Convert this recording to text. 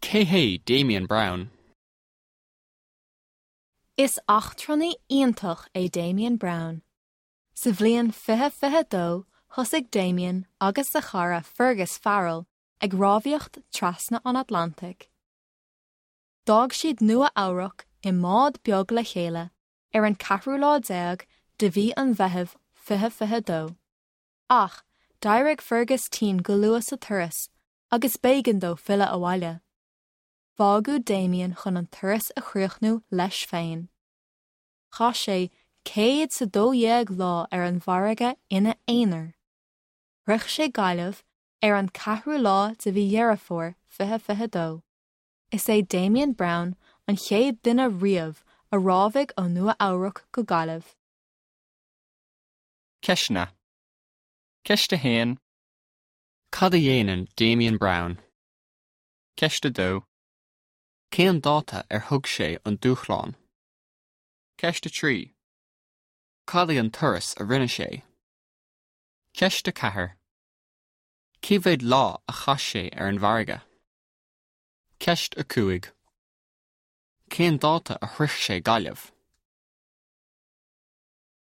Cé hé Damian Browne? Is eachtrannaí iontach é Damian Browne. Sa bhliain 2022 thosaigh Damian agus a chara Fergus Farrell ag rámhaíocht trasna an Atlantaigh. D'fhág siad Nua Eabhrac i mbád beag le chéile ar an ceathrú lá déag de mhí an Mheithimh 2022. Ach d'éirigh Fergus tinn go luath sa turas agus b'éigean dó filleadh abhaile. Fágadh Damian chun an turas a chríochnú leis féin. Chaith sé 112 lá ar an bhfarraige ina aonar. Shroich sé Gaillimh ar an ceathrú lá de mhí Dheireadh Fómhair 2022. Is é Damian Browne an chéad duine riamh a rámhaigh ó Nua Eabhrac go Gaillimh. Ceisteanna. Ceist 1. Cad a dhéanann Damian Browne? Ceist 2. Cén dáta ar thug sé an dúshlán? Ceist 3. Cad é an turas a rinne sé? Ceist 4. Cé mhéad lá a chaith sé ar an bhfarraige? Ceist 5. Cén dáta a shroich sé Gaillimh?